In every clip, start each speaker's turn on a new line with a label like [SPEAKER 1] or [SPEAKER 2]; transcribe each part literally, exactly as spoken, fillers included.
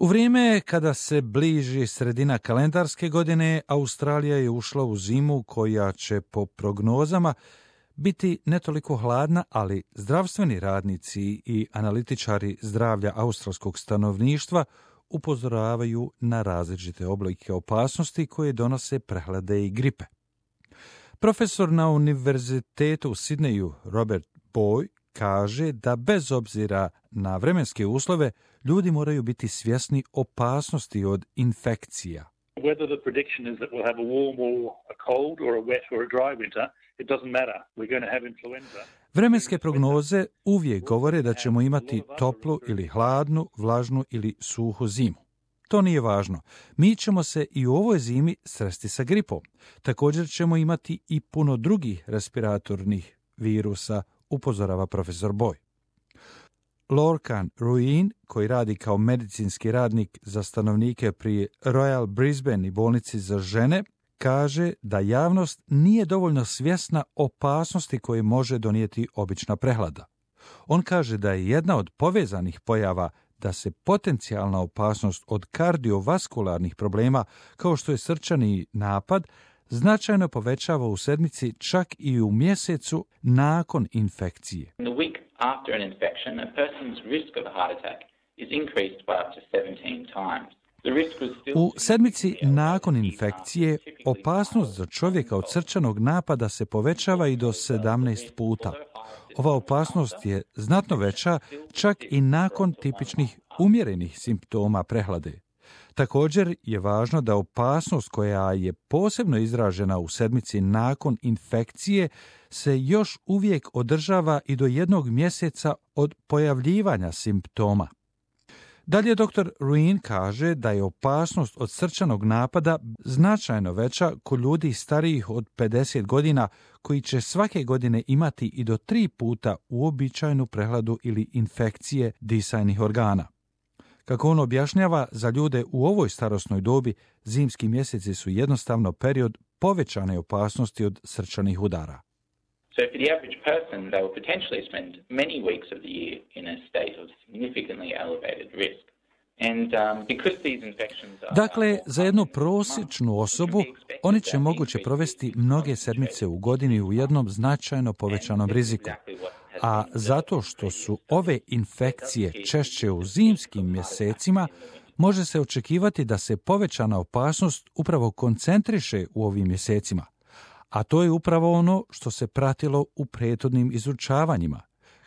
[SPEAKER 1] U vrijeme kada se bliži sredina kalendarske godine, Australija je ušla u zimu koja će po prognozama biti ne toliko hladna, ali zdravstveni radnici i analitičari zdravlja australskog stanovništva upozoravaju na različite oblike opasnosti koje donose prehlade i gripe. Profesor na Univerzitetu u Sidneju Robert Boy kaže da bez obzira na vremenske uslove ljudi moraju biti svjesni opasnosti od infekcija.
[SPEAKER 2] Whether the prediction is that we'll have a warm or a cold or a wet or a dry winter, it doesn't matter. We're going to have influenza.
[SPEAKER 1] Vremenske prognoze uvijek govore da ćemo imati toplu ili hladnu, vlažnu ili suhu zimu. To nije važno. Mi ćemo se i u ovoj zimi sresti sa gripom. Također ćemo imati i puno drugih respiratornih virusa, upozorava profesor Boy. Lorcan Ruin, koji radi kao medicinski radnik za stanovnike pri Royal Brisbane i bolnici za žene, kaže da javnost nije dovoljno svjesna opasnosti koje može donijeti obična prehlada. On kaže da je jedna od povezanih pojava da se potencijalna opasnost od kardiovaskularnih problema, kao što je srčani napad, značajno povećava u sedmici, čak i u mjesecu nakon infekcije.
[SPEAKER 3] In the week after an infection, a person's risk of a heart attack is increased by up to seventeen times.
[SPEAKER 1] U sedmici nakon infekcije opasnost za čovjeka od srčanog napada se povećava i do sedamnaest puta. Ova opasnost je znatno veća čak i nakon tipičnih umjerenih simptoma prehlade. Također je važno da opasnost koja je posebno izražena u sedmici nakon infekcije se još uvijek održava i do jednog mjeseca od pojavljivanja simptoma. Dalje doktor Ruin kaže da je opasnost od srčanog napada značajno veća kod ljudi starijih od pedeset godina koji će svake godine imati i do tri puta uobičajenu prehladu ili infekcije disajnih organa. Kako on objašnjava, za ljude u ovoj starosnoj dobi zimski mjeseci su jednostavno period povećane opasnosti od srčanih udara.
[SPEAKER 3] So for the average person, they will potentially spend many weeks of the year in a state of significantly elevated risk. And um, because these infections are...
[SPEAKER 1] Dakle, za jednu prosječnu osobu oni će moguće provesti mnoge sedmice u godini u jednom značajno povećanom riziku. A zato što su ove infekcije češće u zimskim mjesecima, može se očekivati da se povećana opasnost upravo koncentriše u ovim mjesecima. A to je upravo ono što se pratilo u prethodnim izučavanjima.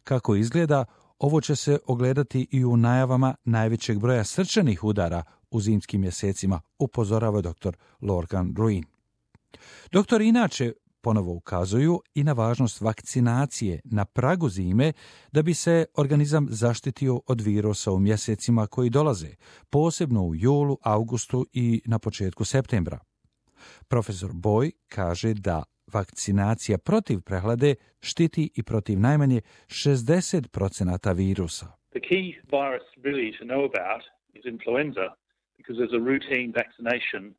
[SPEAKER 1] Kako izgleda, ovo će se ogledati i u najavama najvećeg broja srčanih udara u zimskim mjesecima, upozorava doktor Lorcan Ruin. Doktori inače ponovo ukazuju i na važnost vakcinacije na pragu zime da bi se organizam zaštitio od virusa u mjesecima koji dolaze, posebno u julu, avgustu i na početku septembra. Profesor Boy kaže da vakcinacija protiv prehlade štiti i protiv najmanje šezdeset procenata virusa.
[SPEAKER 2] The key virus really to know about is influenza because there's a routine vaccination.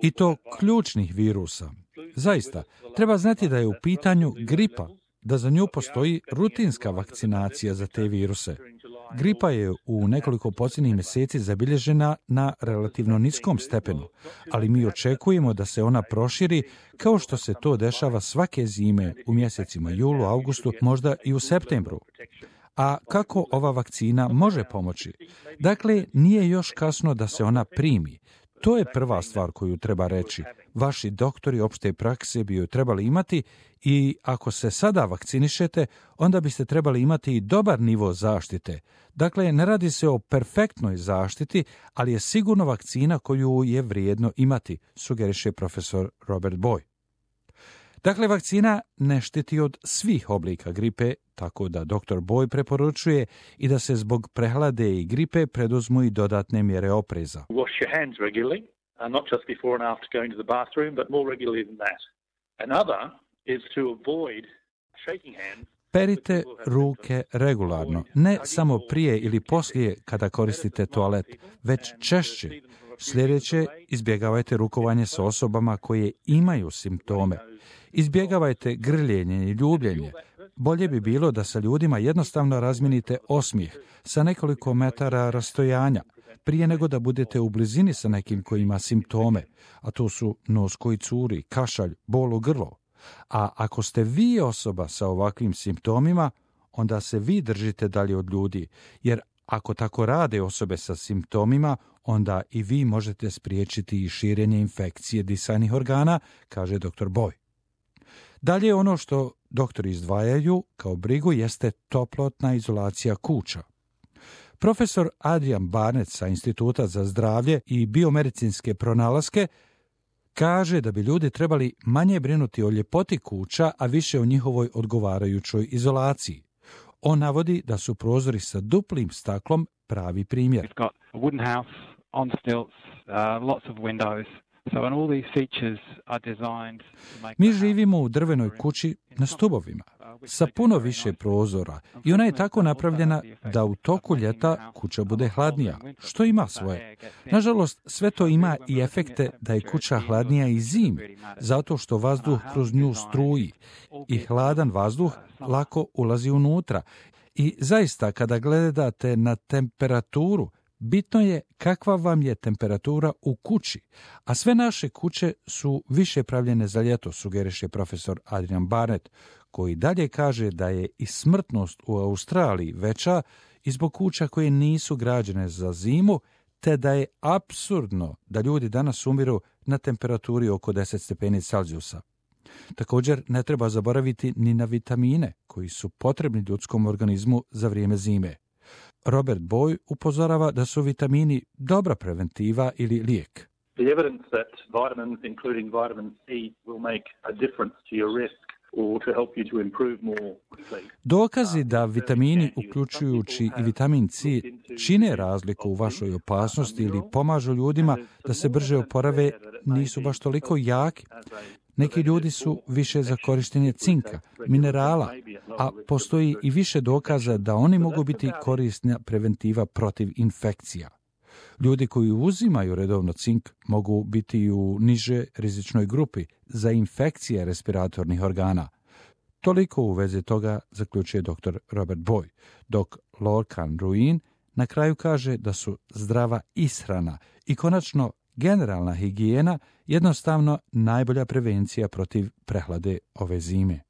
[SPEAKER 1] I to ključnih virusa. Zaista, treba znati da je u pitanju gripa, da za nju postoji rutinska vakcinacija za te viruse. Gripa je u nekoliko posljednjih mjeseci zabilježena na relativno niskom stepenu, ali mi očekujemo da se ona proširi kao što se to dešava svake zime u mjesecima julu, avgustu, možda i u septembru. A kako ova vakcina može pomoći? Dakle, nije još kasno da se ona primi. To je prva stvar koju treba reći. Vaši doktori opšte prakse bi ju trebali imati i ako se sada vakcinišete, onda biste trebali imati i dobar nivo zaštite. Dakle, ne radi se o perfektnoj zaštiti, ali je sigurno vakcina koju je vrijedno imati, sugeriše profesor Robert Boy. Dakle, vakcina ne štiti od svih oblika gripe, tako da doktor Boy preporučuje i da se zbog prehlade i gripe preduzmu i dodatne mjere opreza.
[SPEAKER 2] Wash your hands regularly, uh, not just before and after going to the bathroom, but more regularly than that. Another is to avoid shaking hands.
[SPEAKER 1] Perite ruke regularno, ne samo prije ili poslije kada koristite toalet, već češće. Sljedeće, izbjegavajte rukovanje sa osobama koje imaju simptome. Izbjegavajte grljenje i ljubljenje. Bolje bi bilo da sa ljudima jednostavno razminite osmijeh sa nekoliko metara rastojanja. prije nego da budete u blizini sa nekim koji ima simptome, a to su nos koji curi, kašalj, bol u grlo. A ako ste vi osoba sa ovakvim simptomima, onda se vi držite dalje od ljudi, jer ako tako rade osobe sa simptomima, onda i vi možete spriječiti i širenje infekcije disajnih organa, kaže doktor Boy. Dalje ono što doktori izdvajaju kao brigu jeste toplotna izolacija kuća. Profesor Adrian Barnett sa Instituta za zdravlje i biomedicinske pronalaske kaže da bi ljudi trebali manje brinuti o ljepoti kuća, a više o njihovoj odgovarajućoj izolaciji. On navodi da su prozori sa duplim staklom pravi primjer. Mi živimo u drvenoj kući na stubovima, sa puno više prozora i ona je tako napravljena da u toku ljeta kuća bude hladnija, što ima svoje. Nažalost, sve to ima i efekte da je kuća hladnija i zimi, zato što vazduh kroz nju struji i hladan vazduh lako ulazi unutra. I zaista, kada gledate na temperaturu, bitno je kakva vam je temperatura u kući, a sve naše kuće su više pravljene za ljeto, sugeriše profesor Adrian Barnett, koji dalje kaže da je i smrtnost u Australiji veća i zbog kuća koje nisu građene za zimu, te da je apsurdno da ljudi danas umiru na temperaturi oko deset stepeni Celzijusa. Također ne treba zaboraviti ni na vitamine koji su potrebni ljudskom organizmu za vrijeme zime. Robert Boy upozorava da su vitamini dobra preventiva ili lijek.
[SPEAKER 2] The evidence that vitamins, including vitamin C, will make a difference to your risk or to help you to improve more quickly.
[SPEAKER 1] Dokazi da vitamini, uključujući i vitamin C, čine razliku u vašoj opasnosti ili pomažu ljudima da se brže oporave, nisu baš toliko jaki. Neki ljudi su više za korištenje cinka, minerala, a postoji i više dokaza da oni mogu biti korisna preventiva protiv infekcija. Ljudi koji uzimaju redovno cink mogu biti u niže rizičnoj grupi za infekcije respiratornih organa. Toliko u vezi toga zaključuje doktor Robert Boy, dok Lorcan Ruin na kraju kaže da su zdrava ishrana i konačno generalna higijena jednostavno najbolja prevencija protiv prehlade ove zime.